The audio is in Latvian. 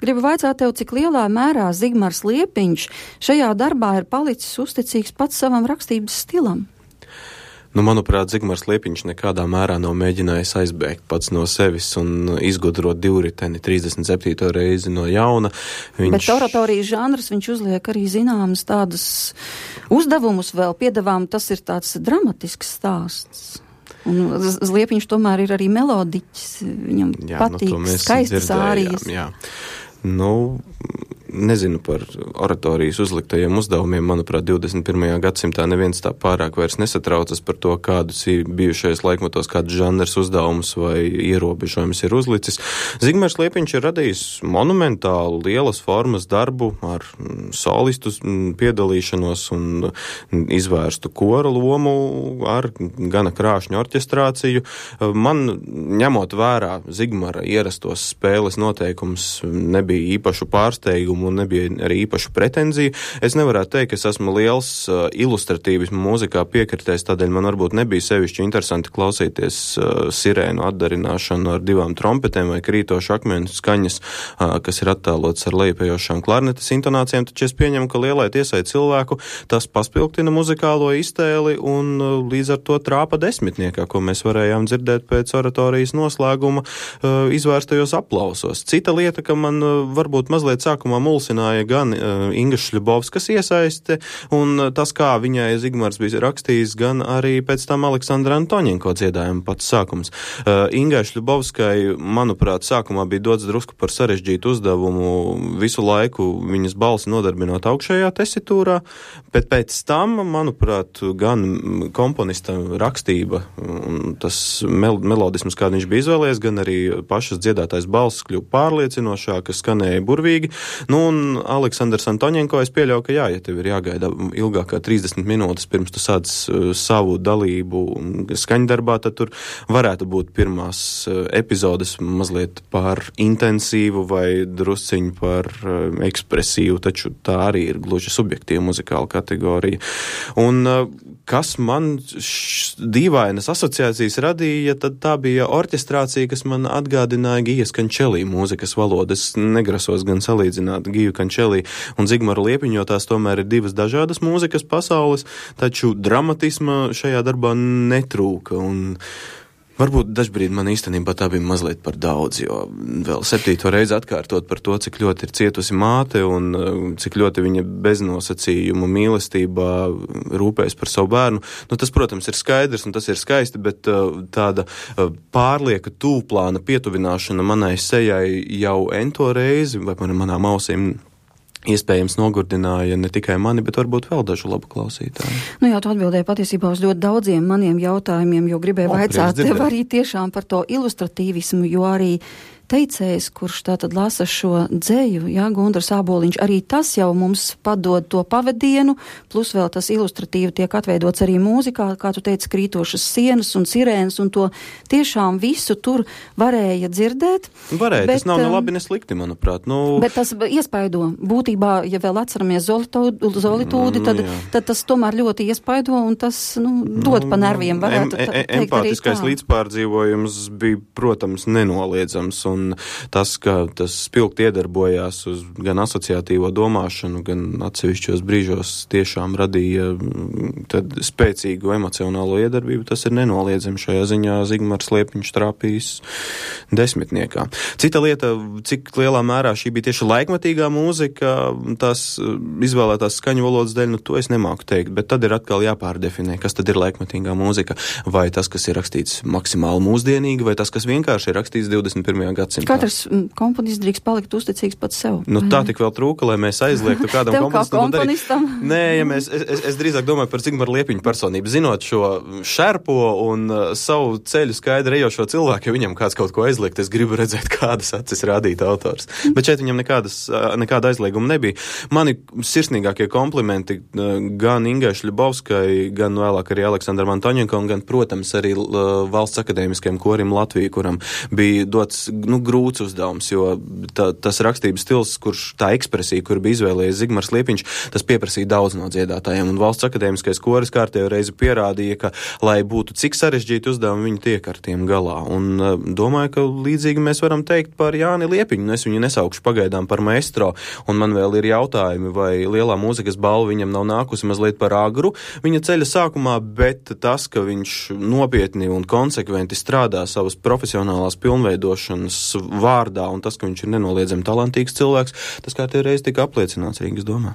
Gribu vaicāt tev, cik lielā mērā Zigmars Liepiņš šajā darbā ir palicis uzticīgs pats savam rakstības stilam? Nu, manuprāt, Zigmars Liepiņš nekādā mērā nav mēģinājis aizbēgt pats no sevis un izgudrot divriteni 37. reizi no jauna. Bet oratorijas žanrs viņš uzliek arī zināmas tādas uzdevumus vēl piedāvām, tas ir tāds dramatisks stāsts. Un Liepiņš tomēr ir arī melodiķis, viņam patīk skaistas ārijas. Jā. Nu, nezinu par oratorijas uzliktajiem uzdevumiem. Manuprāt, 21. gadsimtā neviens tā pārāk vairs nesatraucas par to, kādus ir bijušais laikmetos, kādus žanrs uzdevumus vai ierobežojumus ir uzlicis. Zigmars Liepiņš ir radījis monumentālu, lielas formas darbu ar solistu piedalīšanos un izvērstu kora lomu ar gana krāšņu orķestrāciju. Man, ņemot vērā Zigmara ierastos spēles noteikumus, nebija īpašu pārsteigumu un nebija arī īpašu pretenziju. Es nevarētu teikt, ka es esmu liels ilustratīvismu mūzikā piekritējis, tādēļ man varbūt nebija sevišķi interesanti klausīties sirēnu atdarināšanu ar 2 trompetēm vai krītošu akmenu skaņas, kas ir attēlots ar lejupējošām klarnetes intonācijām, taču es pieņemu, ka lielai tiesai cilvēku tas paspilgtina muzikālo iztēli un līdz ar to trāpa desmitniekā, ko mēs varējām dzirdēt pēc oratorijas noslēguma izvērstajos aplausos. Cita lieta, ka man varbūt mazliet sākumā mulsināja gan Inga Šļubovskas iesaiste un tas, kā viņai Zigmars bija rakstījis, gan arī pēc tam Aleksandra Antoņenko dziedājuma pats sākums. Ingai Šļubovskai, manuprāt, sākumā bija dots drusku par sarežģītu uzdevumu visu laiku viņas balsi nodarbināt augšējā tesitūrā, bet pēc tam, manuprāt, gan komponista rakstība un tas melodisms, kādu viņš bija izvēlējies, gan arī pašas dziedātais balss kļuva pārliecinošākas, skanēja burvīgi. Nu, un Aleksandrs Antoņenko, es pieļauju, ka jā, ja tev ir jāgaida ilgāk kā 30 minūtes pirms tu sāc savu dalību skaņdarbā, tad tur varētu būt pirmās epizodes mazliet par intensīvu vai drusciņu par ekspresīvu, taču tā arī ir gluži subjektīva muzikāla kategorija. Un kas man dīvainas asociācijas radīja, tad tā bija orķestrācija, kas man atgādināja Gijas Kančelī mūzikas valodu. Es negrasos gan salīdzināt Giju Kančelī un Zigmaru Liepiņu, jo tās tomēr ir divas dažādas mūzikas pasaules, taču dramatisma šajā darbā netrūka. Un varbūt dažbrīd man īstenībā tā bija mazliet par daudz, jo vēl 7. reizi atkārtot par to, cik ļoti ir cietusi māte un cik ļoti viņa beznosacījumu mīlestībā rūpējas par savu bērnu. Nu, tas, protams, ir skaidrs un tas ir skaisti, bet tāda pārlieka tūplāna pietuvināšana manai sejai jau ento reizi, vai manām ausīm iespējams nogurdināja ne tikai mani, bet varbūt vēl dažu labu klausītāju. Nu jā, tu atbildēji patiesībā uz ļoti daudziem maniem jautājumiem, jo gribēju vaicāt tev arī tiešām par to ilustratīvismu, jo arī teicējs, kurš tātad lasa šo dzeju, jā, Gundars Āboliņš, arī tas jau mums padod to pavadienu, plus vēl tas ilustratīvi tiek atveidots arī mūzikā, kā tu teici, krītošas sienas un sirēnas, un to tiešām visu tur varēja dzirdēt. Varēja, bet tas nav ne labi, ne slikti, manuprāt. Nu... Bet tas iespaido. Būtībā, ja vēl atceramies Zolitūdi, tad tas tomēr ļoti iespaido, un tas, dod pa nerviem, varētu teikt arī tā. Empātiskais līdzpārdzīvojums bija, protams, nenoliedzams, un tas, ka tas spilgti iedarbojās uz gan asociatīvo domāšanu, gan atsevišķos brīžos tiešām radīja tad spēcīgu emocionālo iedarbību, tas ir nenoliedzami. Šajā ziņā Zigmars Liepiņš trāpījis desmitniekā. Cita lieta, cik lielā mērā šī bija tieši laikmetīgā mūzika, tās izvēlētās skaņu valodas dēļ, to es nemāku teikt, bet tad ir atkal jāpārdefinē, kas tad ir laikmetīgā mūzika, vai tas, kas ir rakstīts maksimāli mūsdienīgi, vai tas, kas vienkārši ir rakstīts 21. gadsimtā. Katrs komponists drīkst palikt uzticīgs pats sev. Tā tik vēl trūka, lai mēs aizliegtu kādam komponistam. Nē, ja es drīzāk domāju par Zigmaru Liepiņu personību. Zinot šo šerpo un savu ceļu skaidri ejošo cilvēku, ja viņam kāds kaut ko aizliegt, es gribu redzēt, kādas acis rādīta autors. Bet šeit viņam nekāda aizlieguma nebija. Mani sirsnīgākie komplimenti gan Ingai Šļubovskai, gan vēlāk arī Aleksandram Antoņenkom, gan, protams, arī Valsts akadēmiskajam korim Latviju, kuram bija dots grūts uzdevums, jo tas rakstības stils, kurš tā ekspresija, kur bija izvēlējies Zigmars Liepiņš, tas pieprasīja daudz no dziedātājiem, un Valsts akadēmiskais koris kārtējo reizi pierādīja, ka, lai būtu cik sarežģīti uzdevumi, viņi tiek ar tiem galā. Un domāju, ka līdzīgi mēs varam teikt par Jāni Liepiņu, es viņu nesaukšu pagaidām par maestro, un man vēl ir jautājumi, vai lielā mūzikas balva viņam nav nākusi mazliet par agru viņa ceļa sākumā, bet tas, ka viņš nopietni un konsekventi strādā savas profesionālās pilnveidošanas vārdā, un tas, ka viņš ir nenoliedzami talantīgs cilvēks, tas kā tie reiz tika apliecināts Rīgas domā.